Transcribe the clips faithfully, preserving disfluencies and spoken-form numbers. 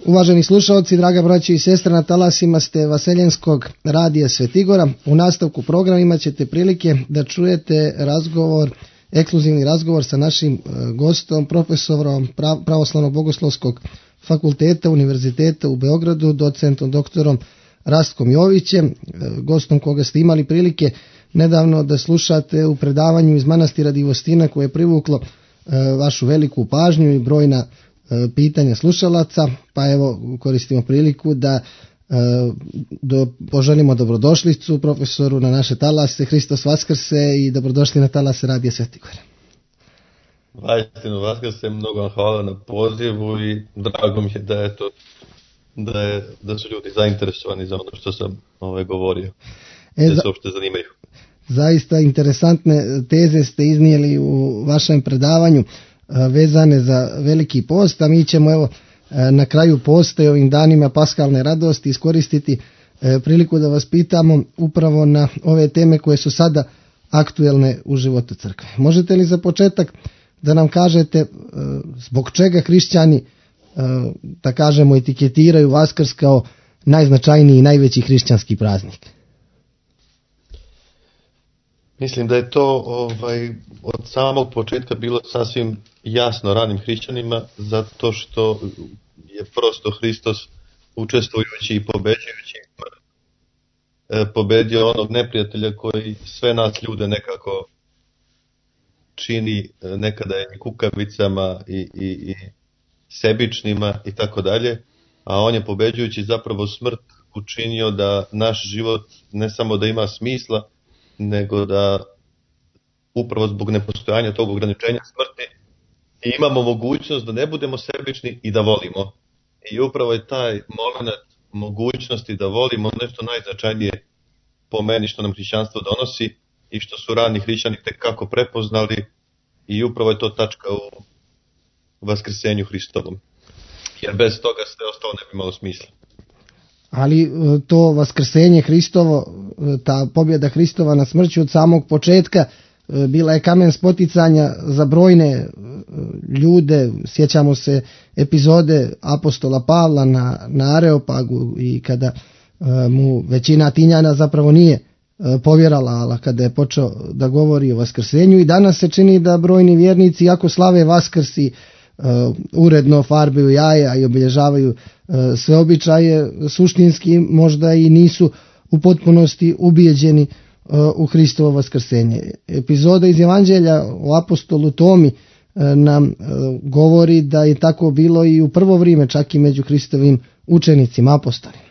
Uvaženi slušalci, draga braće i sestre, na talasima ste Vaseljenskog radija Svetigora. U nastavku programa imat ćete prilike da čujete razgovor, ekskluzivni razgovor sa našim gostom, profesorom Pravoslavnog bogoslovskog fakulteta Univerziteta u Beogradu, docentom doktorom Rastkom Jovićem, gostom koga ste imali prilike nedavno da slušate u predavanju iz manastira Divostina, koje je privuklo vašu veliku pažnju i brojna pitanja slušalaca, pa evo koristimo priliku da do, poželimo dobrodošlicu profesoru na naše talase. Hristos Vaskrse i dobrodošli na talase Radija Svetigora. Vajstinu Vaskrse, mnogo vam hvala na pozivu i drago mi je da je to da, je, da su ljudi zainteresovani za ono što sam ovaj, govorio, e, da se uopšte zanimaju. Zaista interesantne teze ste iznijeli u vašem predavanju vezane za Veliki post, a mi ćemo evo na kraju posta i ovim danima paskalne radosti iskoristiti priliku da vas pitamo upravo na ove teme koje su sada aktuelne u životu crkve. Možete li za početak da nam kažete zbog čega hrišćani, da kažemo, etiketiraju Vaskrs kao najznačajniji i najveći hrišćanski praznik? Mislim da je to ovaj, od samog početka bilo sasvim jasno ranim hrišćanima, zato što je prosto Hristos učestvujući i pobeđujući pobedio onog neprijatelja koji sve nas ljude nekako čini nekada i kukavicama i, i, i sebičnima i tako dalje, a on je pobeđujući zapravo smrt učinio da naš život ne samo da ima smisla, nego da upravo zbog nepostojanja tog ograničenja smrti imamo mogućnost da ne budemo sebični i da volimo. I upravo je taj moment mogućnosti da volimo nešto najznačajnije po meni što nam hrišćanstvo donosi i što su rani hrišćani tek kako prepoznali, i upravo je to tačka u vaskrsenju Hristovom. Jer bez toga sve ostalo ne bi imalo smisla. Ali to vaskrsenje Hristovo, ta pobjeda Hristova na smrću od samog početka bila je kamen spoticanja za brojne ljude. Sjećamo se epizode apostola Pavla na, na Areopagu i kada mu većina Atinjana zapravo nije povjerala, ali kada je počeo da govori o vaskrsenju. I danas se čini da brojni vjernici, iako slave Vaskrsi, Uh, uredno farbaju jaja i obilježavaju uh, sve običaje, suštinski možda i nisu u potpunosti ubijeđeni uh, u Hristovo vaskrsenje. Epizoda iz Evanđelja o apostolu Tomi uh, nam uh, govori da je tako bilo i u prvo vrijeme, čak i među Hristovim učenicima, apostolima.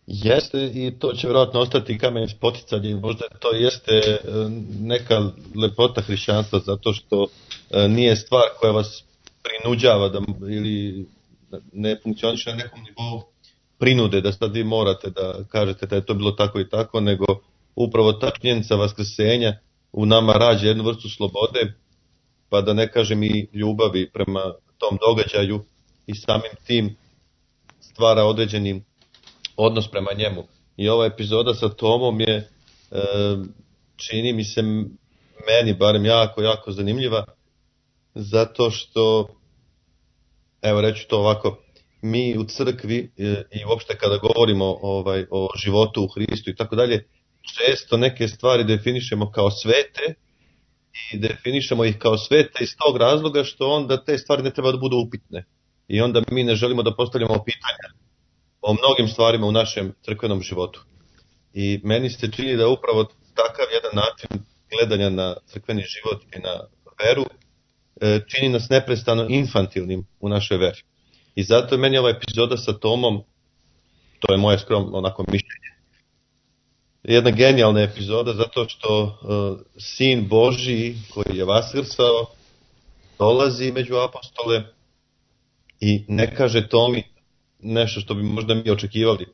Jeste, i to će vjerojatno ostati kamen spoticanja, možda to jeste neka lepota hrišćanstva, zato što nije stvar koja vas prinuđava da, ili ne funkcioniše na nekom nivou prinude da sad vi morate da kažete da je to bilo tako i tako, nego upravo ta činjenica vaskrsenja u nama rađa jednu vrstu slobode, pa da ne kažem i ljubavi prema tom događaju, i samim tim stvara određeni odnos prema njemu. I ova epizoda sa Tomom je, e, čini mi se meni barem jako, jako zanimljiva, zato što, evo reću to ovako, mi u crkvi e, i uopšte kada govorimo ovaj, o životu u Hristu i tako dalje, često neke stvari definišemo kao svete i definišemo ih kao svete iz tog razloga što onda te stvari ne treba da budu upitne. I onda mi ne želimo da postavljamo pitanja o mnogim stvarima u našem crkvenom životu. I meni se čini da upravo takav jedan način gledanja na crkveni život i na veru čini nas neprestano infantilnim u našoj veri. I zato je meni ova epizoda sa Tomom, to je moje skromno onako mišljenje, jedna genijalna epizoda, zato što uh, Sin Božji koji je vaskrsao dolazi među apostole i ne kaže Tomi nešto što bi možda mi očekivali,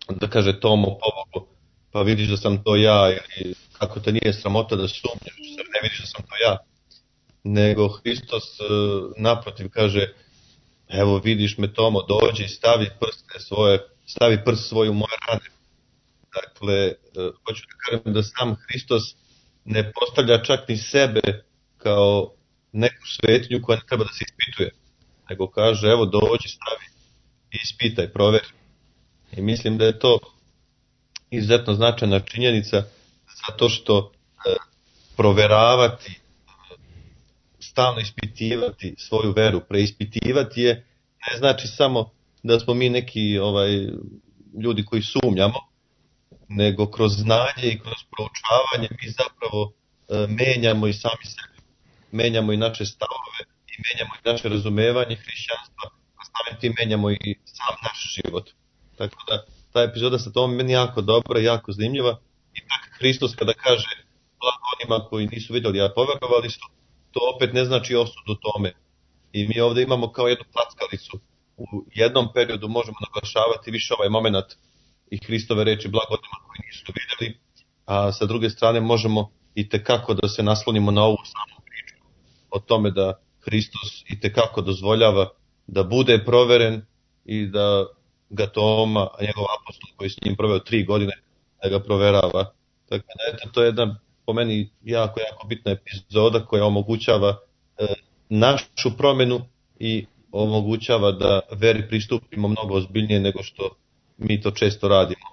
da kaže Tomo pobogu, pa vidiš da sam to ja, ili kako te nije sramota da sumnjaš, ne vidiš da sam to ja. Nego Hristos naprotiv kaže, evo vidiš me Tomo, dođi i stavi prste svoje, stavi prst svoj u moje rane. Dakle, hoću da kažem da sam Hristos ne postavlja čak ni sebe kao neku svetinju koja ne treba da se ispituje. nego kaže evo dođi, stavi, ispitaj, proveri. I mislim da je to izuzetno značajna činjenica zato što e, proveravati, stalno ispitivati svoju veru, preispitivati je, ne znači samo da smo mi neki ovaj ljudi koji sumnjamo, nego kroz znanje i kroz proučavanje mi zapravo e, menjamo i sami sebe, menjamo i naše stavove i menjamo i naše razumevanje hrišćanstva, a samim tim menjamo i sam naš život. Tako da ta epizoda sa tom meni jako dobra, jako zanimljiva. I tak Hristos kada kaže blago onima koji nisu vidjeli, a poverovali su, to opet ne znači osudu tome. I mi ovdje imamo kao jednu packalicu. U jednom periodu možemo naglašavati više ovaj moment i Hristove reči blago onima koji nisu vidjeli, a sa druge strane možemo i tekako da se naslonimo na ovu samu priču o tome da Hristos i tekako dozvoljava da bude proveren i da ga Toma, a njegov apostol koji s njim proveo tri godine, da ga proverava. Tako da eto, to je jedna po meni jako, jako bitna epizoda koja omogućava e, našu promjenu i omogućava da veri pristupimo mnogo ozbiljnije nego što mi to često radimo.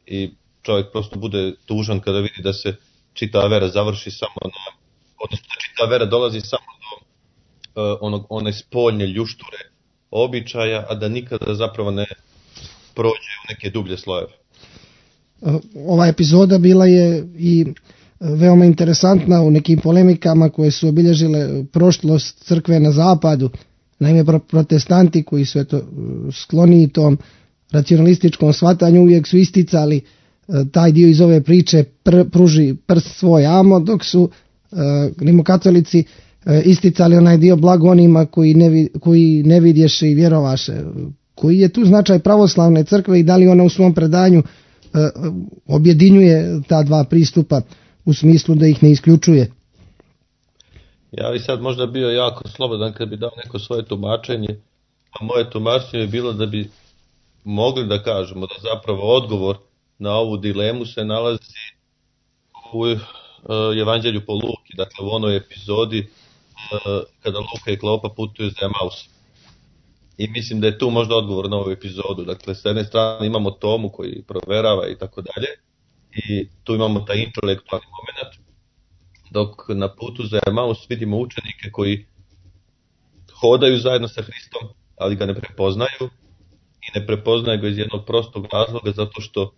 I čovjek prosto bude tužan kada vidi da se čitava vera završi samo na, odnosno da čitava vera dolazi samo do uh, onog, one spoljne ljušture običaja, a da nikada zapravo ne prođe u neke dublje slojeve. Ova epizoda bila je i veoma interesantna u nekim polemikama koje su obilježile prošlost crkve na zapadu. Naime, protestanti koji su eto, skloni tom racionalističkom shvatanju uvijek su isticali taj dio iz ove priče pr, pruži prst svoj amo, dok su e, rimokatolici e, isticali onaj dio blago onima koji ne, koji ne vidješe i vjerovaše. Koji je tu značaj pravoslavne crkve i da li ona u svom predanju e, objedinjuje ta dva pristupa u smislu da ih ne isključuje? Ja bi sad možda bio jako slobodan kad bi dao neko svoje tumačenje, a moje tumačenje je bilo da bi mogli da kažemo da zapravo odgovor na ovu dilemu se nalazi u uh, Evanđelju po Luki, dakle u onoj epizodi uh, kada Luka i Klopa putuju za Emaus. I mislim da je tu možda odgovor na ovu epizodu. Dakle, s jedne strane imamo Tomu koji proverava i tako dalje, i tu imamo taj intelektualni moment, dok na putu za Emaus vidimo učenike koji hodaju zajedno sa Hristom, ali ga ne prepoznaju, i ne prepoznaju ga iz jednog prostog razloga, zato što,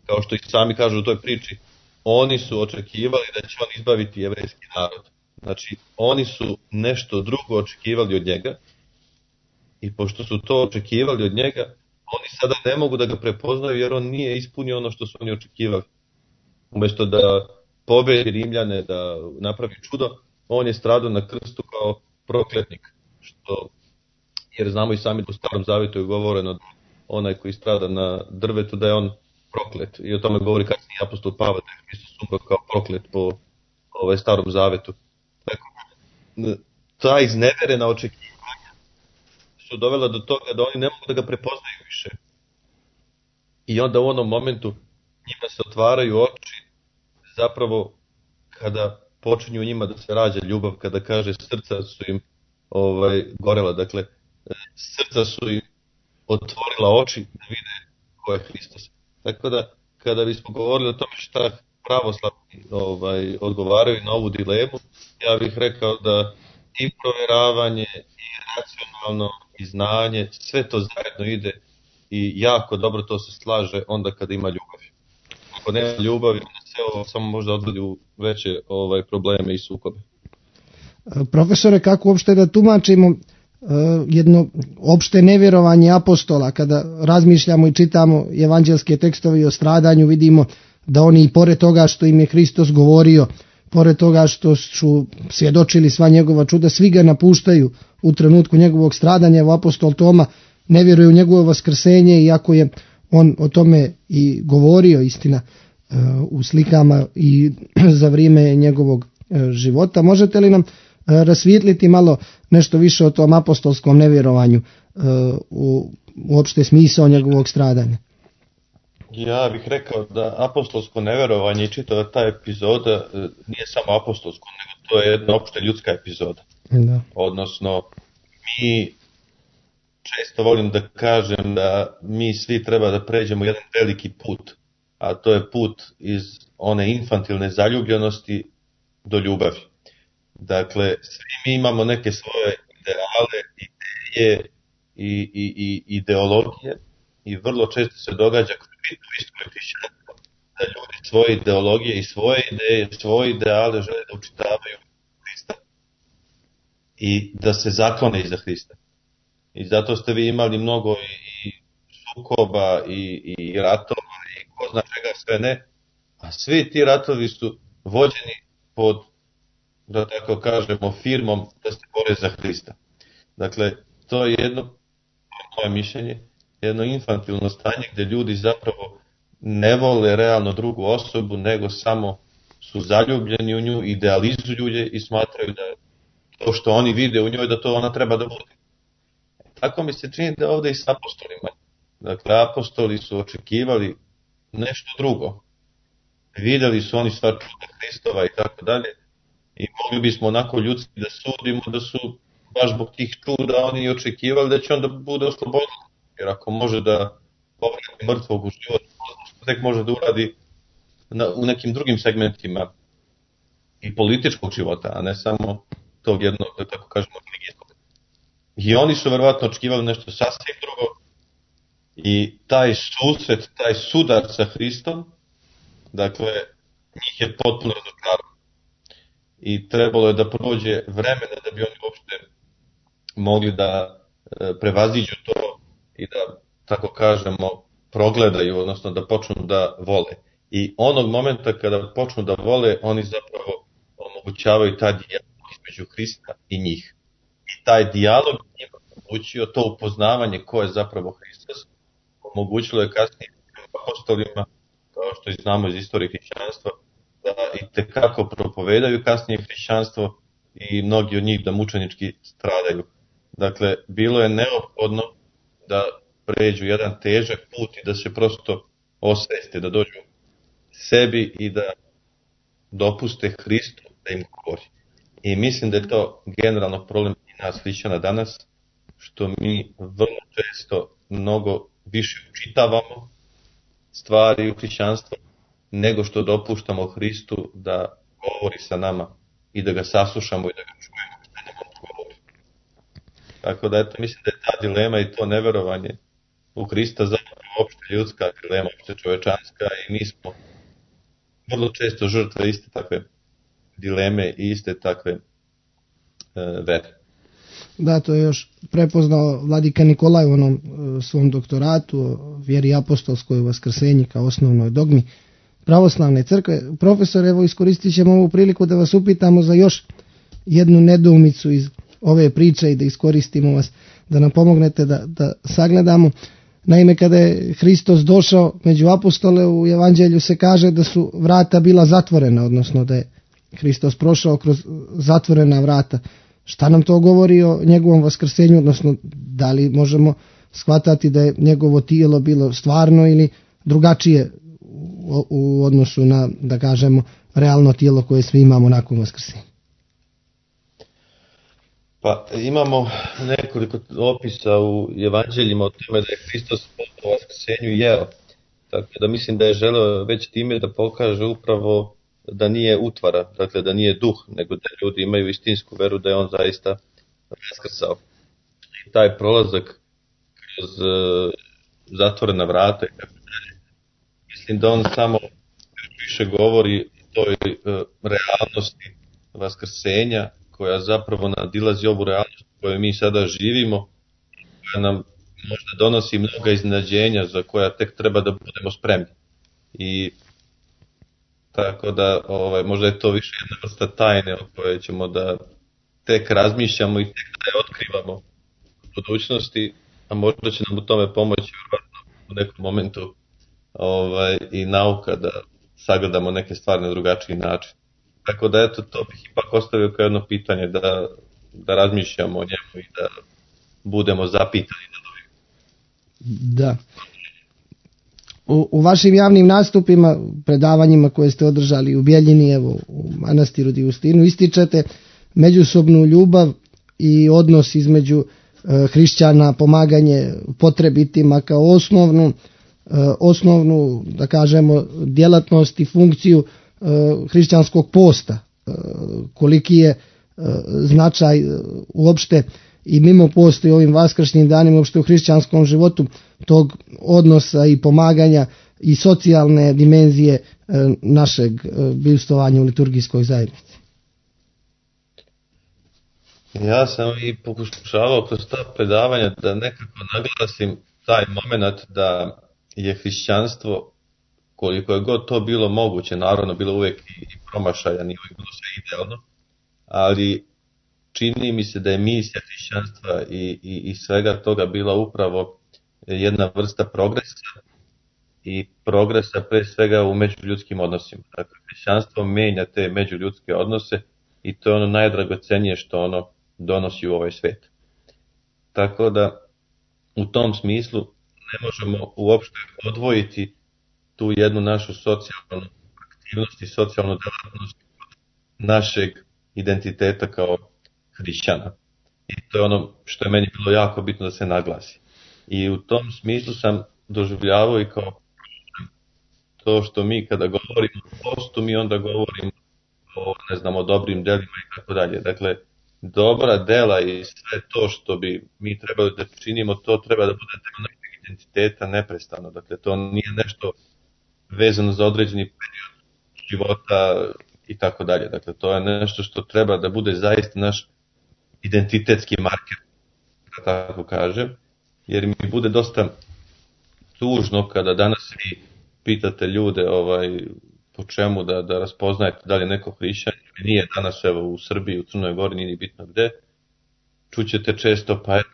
kao što i sami kažu u toj priči, oni su očekivali da će on izbaviti jevrejski narod. Znači, oni su nešto drugo očekivali od njega, i pošto su to očekivali od njega, oni sada ne mogu da ga prepoznaju jer on nije ispunio ono što su oni očekivali. Umjesto da pobedi Rimljane, da napravi čudo, on je stradao na krstu kao prokletnik. Što, jer znamo i sami da u Starom Zavjetu je govoreno da onaj koji strada na drvetu da je on proklet. I o tome govori kasniji apostol Pavle, da je Hristos umro kao proklet po ovaj Starom Zavjetu. Tako, ta izneverena očekivanja su dovela do toga da oni ne mogu da ga prepoznaju više. I onda u onom momentu njima se otvaraju oči, zapravo kada počinju njima da se rađa ljubav, kada kaže srca su im ovaj, gorela, dakle srca su im otvorila oči da vide ko je Hristos. Tako da kada bismo govorili o tome šta pravoslavni ovaj, odgovaraju na ovu dilemu, ja bih rekao da i provjeravanje, i racionalno, i znanje, sve to zajedno ide i jako dobro to se slaže onda kada ima ljubav. Ako nema ljubavi, onda sve ovo samo možda odvodi u veće ovaj, probleme i sukobe. Profesore, kako uopšte da tumačimo uh, jedno opšte nevjerovanje apostola kada razmišljamo i čitamo evanđelske tekstove o stradanju, vidimo da oni i pored toga što im je Hristos govorio, pored toga što su svjedočili sva njegova čuda, svi ga napuštaju u trenutku njegovog stradanja. Evo apostol Toma ne vjeruje u njegovo vaskrsenje, iako je on o tome i govorio, istina, u slikama i za vrijeme njegovog života. Možete li nam rasvijetliti malo nešto više o tom apostolskom nevjerovanju u uopšte smisao njegovog stradanja? Ja bih rekao da apostolsko nevjerovanje i čitava ta epizoda nije samo apostolsko, nego to je jedna opšte ljudska epizoda. Da. Odnosno, mi često volim da kažem da mi svi treba da pređemo jedan veliki put, a to je put iz one infantilne zaljubljenosti do ljubavi. Dakle, svi mi imamo neke svoje ideale, ideje i, i, i ideologije i vrlo često se događa kroz bitnu istoriju hrišćanstva da ljudi svoje ideologije i svoje ideje, svoje ideale žele da učitavaju Hrista i da se zaklone iza Hrista. I zato ste vi imali mnogo i sukoba i, i ratova i ko zna čega sve ne, a svi ti ratovi su vođeni pod, da tako kažemo, firmom da se bore za Hrista. Dakle, to je jedno, moje mišljenje, jedno infantilno stanje gdje ljudi zapravo ne vole realno drugu osobu, nego samo su zaljubljeni u nju, idealizuju je i smatraju da to što oni vide u njoj, da to ona treba da bude. Tako mi se čini da ovdje i s apostolima. Dakle, apostoli su očekivali nešto drugo. Vidjeli su oni sva čuda Hristova i tako dalje. I mogli bismo onako ljudski da sudimo da su baš zbog tih čuda oni očekivali da će onda bude oslobođen. Jer ako može da povrati mrtvog u život, tek može da uradi na, u nekim drugim segmentima i političkog života, a ne samo tog jednog, da tako kažemo, religijskog. I oni su verovatno očekivali nešto sasvim drugo i taj susret, taj sudar sa Hristom, dakle, njih je potpuno razočarao. I trebalo je da prođe vremena da bi oni uopšte mogli da e, prevaziđu to i da, tako kažemo, progledaju, odnosno da počnu da vole. I onog momenta kada počnu da vole, oni zapravo omogućavaju taj dijalog između Hrista i njih. I taj dijalog njima omogućio to upoznavanje ko je zapravo Hristos, omogućilo je kasnije apostolima, kao što i znamo iz istorije hrišćanstva, da i tekako propovedaju kasnije hrišćanstvo i mnogi od njih da mučenički stradaju. Dakle, bilo je neophodno da pređu jedan težak put i da se prosto osveste, da dođu sebi i da dopuste Hristu da im govori. I mislim da je to generalno problem i nas hrišćana danas, što mi vrlo često mnogo više učitavamo stvari u hrišćanstvu, nego što dopuštamo Hristu da govori sa nama i da ga saslušamo i da ga čujemo što nam on govori. Tako da eto, mislim da je ta dilema i to neverovanje u Hrista zapravo opšte ljudska dilema, opšte čovečanska i mi smo vrlo često žrtve iste takve dileme i iste takve e, vere. Da, to je još prepoznao vladika Nikolaj u onom e, svom doktoratu o vjeri apostolskoj u vaskrsenji kao osnovnoj dogmi pravoslavne crkve. Profesor, evo iskoristit ćemo ovu priliku da vas upitamo za još jednu nedoumicu iz ove priče i da iskoristimo vas da nam pomognete da, da sagledamo. Naime, kada je Hristos došao među apostole, u evanđelju se kaže da su vrata bila zatvorena, odnosno da je Hristos prošao kroz zatvorena vrata. Šta nam to govori o njegovom vaskrsenju, odnosno da li možemo shvatati da je njegovo tijelo bilo stvarno ili drugačije u, u odnosu na, da kažemo, realno tijelo koje svi imamo nakon vaskrsenja? Pa imamo nekoliko opisa u evanđeljima o tome da je Hristos po vaskrsenju jeo. Tako da mislim da je želeo već time da pokaže upravo da nije utvara, dakle da nije duh, nego da ljudi imaju istinsku veru da je on zaista vaskrsao. I taj prolazak kroz uh, zatvorena vrata, mislim da on samo više govori o toj uh, realnosti vaskrsenja, koja zapravo nadilazi ovu realnost koju mi sada živimo, koja nam možda donosi mnoga iznenađenja za koja tek treba da budemo spremni. I tako da ovaj, možda je to više jedna vrsta tajne o kojoj ćemo da tek razmišljamo i tek da je otkrivamo u budućnosti, a možda će nam u tome pomoći u nekom momentu ovaj, i nauka da sagledamo neke stvari na drugačiji način. Tako da eto, to bih ipak ostavio kao jedno pitanje da, da razmišljamo o njemu i da budemo zapitani na novi. Da. U, u vašim javnim nastupima, predavanjima koje ste održali u Bjeljini, evo u manastiru Divustinu, ističete međusobnu ljubav i odnos između hrišćana pomaganje potrebitima kao osnovnu, osnovnu da kažemo djelatnost i funkciju hrišćanskog posta, koliki je značaj uopšte i mimo postoji ovim vaskršnjim danima uopšte u hrišćanskom životu tog odnosa i pomaganja i socijalne dimenzije našeg bivstvovanja u liturgijskoj zajednici. Ja sam i pokušavao kroz ta predavanja da nekako naglasim taj moment da je hrišćanstvo, koliko je god to bilo moguće, naravno bilo uvijek i promašaja, nije uvijek bilo sve idealno, ali čini mi se da je misija hrišćanstva i, i, i svega toga bila upravo jedna vrsta progresa i progresa pre svega u međuljudskim odnosima. Dakle, hrišćanstvo menja te međuljudske odnose i to je ono najdragocenije što ono donosi u ovaj svijet. Tako da u tom smislu ne možemo uopšte odvojiti tu jednu našu socijalnu aktivnost i socijalnu djelatnost našeg identiteta kao hrišćana. I to je ono što je meni bilo jako bitno da se naglasi. I u tom smislu sam doživljavao i kao to što mi kada govorimo o postu, mi onda govorimo o, ne znam, o dobrim delima i tako dalje. Dakle, dobra dela i sve to što bi mi trebali da činimo, to treba da bude deo našeg identiteta neprestano. Dakle, to nije nešto vezano za određeni period života i tako dalje. Dakle, to je nešto što treba da bude zaista naš identitetski marker, da tako kažem, jer mi bude dosta tužno kada danas vi pitate ljude ovaj, po čemu da, da raspoznajete da li je neko hrišćan ili nije danas evo u Srbiji, u Crnoj Gori, nije bitno gde, čućete često pa eto,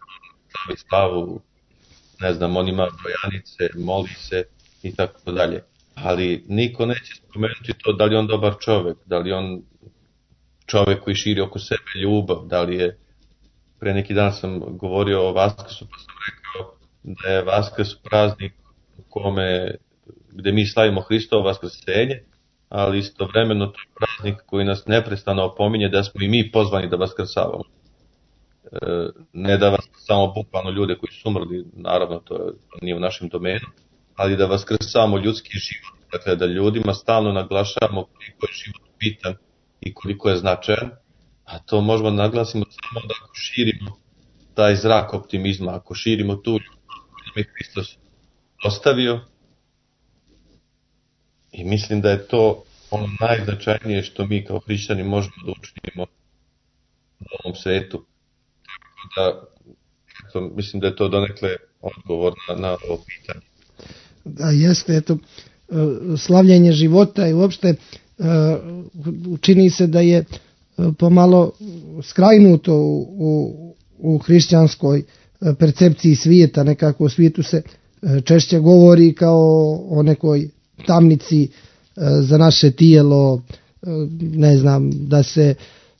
slavi slavu, ne znam, on ima brojanice, moli se i tako dalje. Ali niko neće spomenuti to da li je on dobar čovjek, da li je on čovjek koji širi oko sebe ljubav, da li je, pre neki dan sam govorio o Vaskrsu pa sam rekao da je Vaskrs praznik u kome, gde mi slavimo Hristovo vaskrsenje, ali istovremeno to je praznik koji nas neprestano opominje da smo i mi pozvani da vaskrsavamo. E, ne da vaskrsavamo bukvalno ljude koji su umrli, naravno to, je, to nije u našem domenu, ali da vaskrsavamo ljudski život, dakle da ljudima stalno naglašavamo koliko je život bitan i koliko je značajan, a to možemo naglasimo samo da ako širimo taj zrak optimizma, ako širimo tu ljubav koju nam je Hristos ostavio, i mislim da je to ono najznačajnije što mi kao hrišćani možemo da učinimo u ovom svetu. Tako da, eto, mislim da je to donekle odgovor na, na ovo pitanje. Da, jeste, eto, slavljenje života i uopšte čini se da je pomalo skrajnuto u, u, u hrišćanskoj percepciji svijeta. Nekako u svijetu se češće govori kao o nekoj tamnici za naše tijelo, ne znam, da se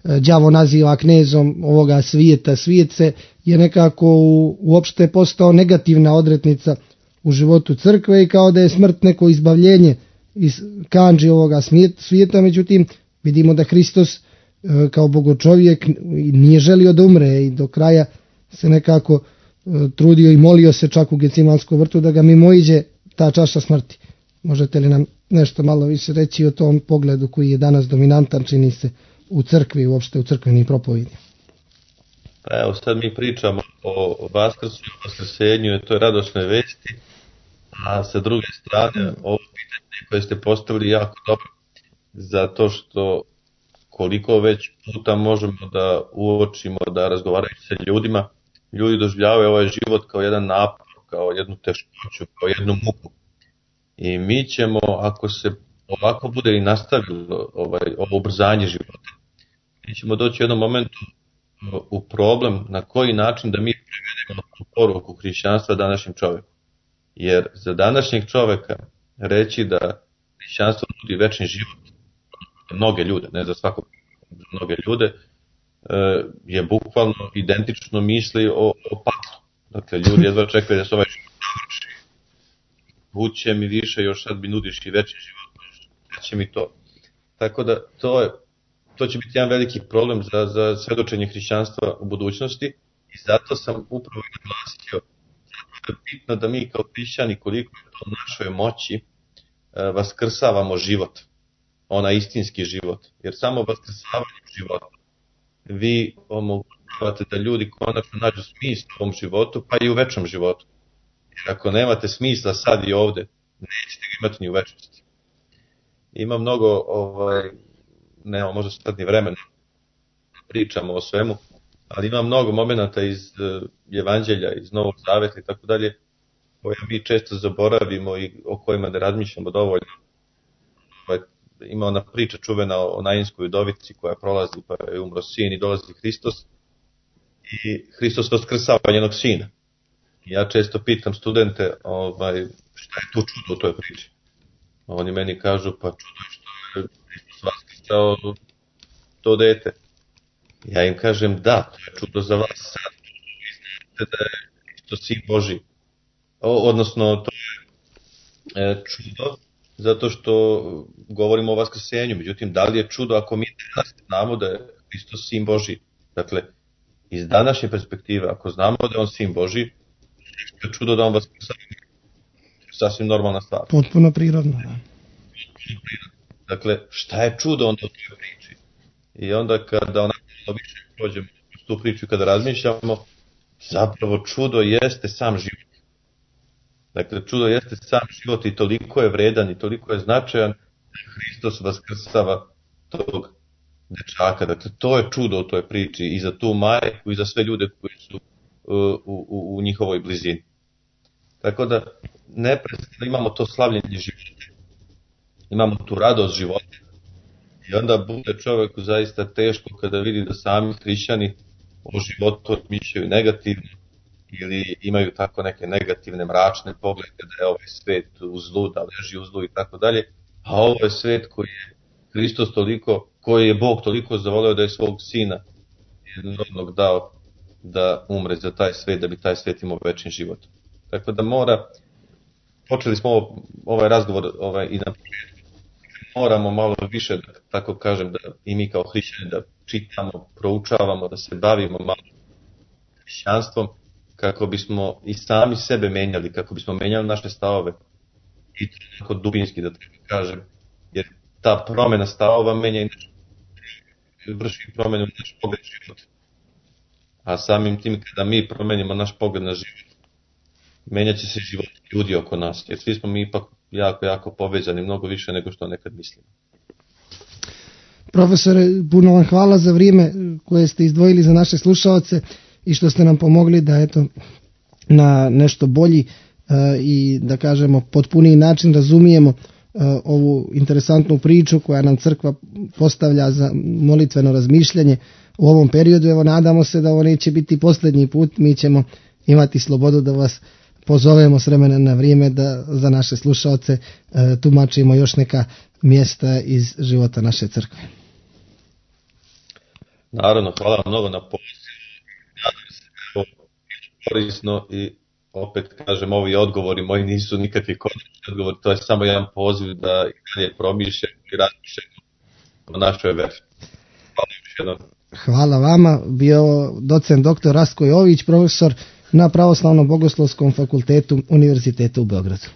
đavo naziva knezom ovoga svijeta. Svijet se je nekako u, uopšte postao negativna odretnica u životu crkve i kao da je smrt neko izbavljenje iz kandži ovoga svijeta. Međutim, vidimo da Hristos kao bogočovjek nije želio da umre i do kraja se nekako trudio i molio se čak u Gecimanskom vrtu da ga mimoiđe ta čaša smrti. Možete li nam nešto malo više reći o tom pogledu koji je danas dominantan, čini se, u crkvi i uopšte u crkvenim propovedima? Pa evo, sad mi pričamo o Vaskrsu i o Vaskrsenju i toj radosnoj vesti, a sa druge strane ovo pitanje koje ste postavili jako dobro, zato što koliko već puta možemo da uočimo, da razgovarajući sa ljudima, ljudi doživljavaju ovaj život kao jedan napor, kao jednu teškoću, kao jednu muku. I mi ćemo, ako se ovako bude i nastavilo ovaj, ovo ubrzanje života, mi ćemo doći u jednom momentu u problem na koji način da mi prevedemo tu poruku hrišćanstva današnjem čovjeku. Jer za današnjeg čovjeka reći da hrišćanstvo nudi večni život, mnoge ljude, ne za svakog, za mnoge ljude, je bukvalno identično misli o, o paklu. Dakle, ljudi jedva čekaju da se ovaj život završi. Buće mi više, još sad mi nudiš i večni život, neće mi to. Tako da to, je, to će biti jedan veliki problem za, za svedočenje hrišćanstva u budućnosti, I zato sam upravo i naglasio, zato je bitno da mi kao hrišćani, koliko je to u našoj moći, vaskrsavamo život, onaj istinski život. Jer samo vaskrsavanjem života vi omogućavate da ljudi konačno nađu smisla u ovom životu, pa i u večnom životu. Jer ako nemate smisla sad i ovde, nećete ga imati ni u večnosti. Ima mnogo, ovaj, nema možda sad ni vremena, pričamo o svemu, ali ima mnogo momenata iz uh, Evanđelja, iz Novog Zaveta i tako dalje, koje mi često zaboravimo i o kojima ne razmišljamo dovoljno. Ima ona priča čuvena o Nainskoj udovici koja prolazi, pa je umro sin i dolazi Hristos i Hristos vaskršava njenog sina. I ja često pitam studente, ovaj, šta je tu čudo u toj priči. Oni meni kažu, pa čudo je što je Hristos vaskršao to dete. Ja im kažem, da, to je čudo za vas sad. Vi znate da je Hristos sin Božji. O, odnosno, to je e, čudo zato što govorimo o vaskrsenju. Međutim, da li je čudo ako mi danas znamo da je Hristos sin Božji? Dakle, iz današnje perspektive, ako znamo da je on sin Božji, je čudo da on vaskrsava. Sasvim normalna stvar. Potpuno prirodno. Da. Dakle, šta je čudo onda u toj priči? I onda kada onako više prođemo tu priču i kada razmišljamo, zapravo čudo jeste sam život. Dakle, čudo jeste sam život i toliko je vredan i toliko je značajan da Hristos vaskrsava tog dečaka. Dakle, to je čudo u toj priči i za tu majku i za sve ljude koji su u, u, u njihovoj blizini. Tako da, neprestano imamo to slavljenje života. Imamo tu radost života. I onda bude čoveku zaista teško kada vidi da sami hrišćani o životu razmišljaju negativno ili imaju tako neke negativne, mračne poglede da je ovaj svet u zlu, da leži u zlu i tako dalje, a ovo je svet koji je Hristos toliko, koji je Bog toliko zavoleo da je svog sina jednog dao da umre za taj svet, da bi taj svet imao večni život. Tako da mora, počeli smo ovo, ovaj razgovor ovaj, i na početku, moramo malo više, da, tako kažem, da i mi kao hrišćani da čitamo, proučavamo, da se bavimo malo hrišćanstvom, kako bismo i sami sebe menjali, kako bismo menjali naše stavove i tako dubinski, da tako kažem, jer ta promjena stavova menja i naš, vrši promjenu u naš pogled života. A samim tim kada mi promenimo naš pogled na život, menjat će se život ljudi oko nas, jer svi smo mi ipak jako, jako povezani, mnogo više nego što nekad mislimo. Profesore, puno vam hvala za vrijeme koje ste izdvojili za naše slušaoce i što ste nam pomogli da eto na nešto bolji uh, i da kažemo potpuniji način razumijemo uh, ovu interesantnu priču koja nam crkva postavlja za molitveno razmišljanje u ovom periodu. Evo, nadamo se da ovo neće biti posljednji put, mi ćemo imati slobodu da vas pozovemo s vremena na vrijeme da za naše slušaoce uh, tumačimo još neka mjesta iz života naše crkve. Naravno, hvala mnogo na pozivu. Nadam se da je ovo korisno i opet kažem, ovi odgovori moji nisu nikakvi konačni odgovori, to je samo jedan poziv da i dalje promišljamo i razmišljamo o našoj veri. Hvala još jednom. Hvala vama, bio docent doktor Rastko Jović, profesor na Pravoslavnom bogoslovskom fakultetu Univerziteta u Beogradu.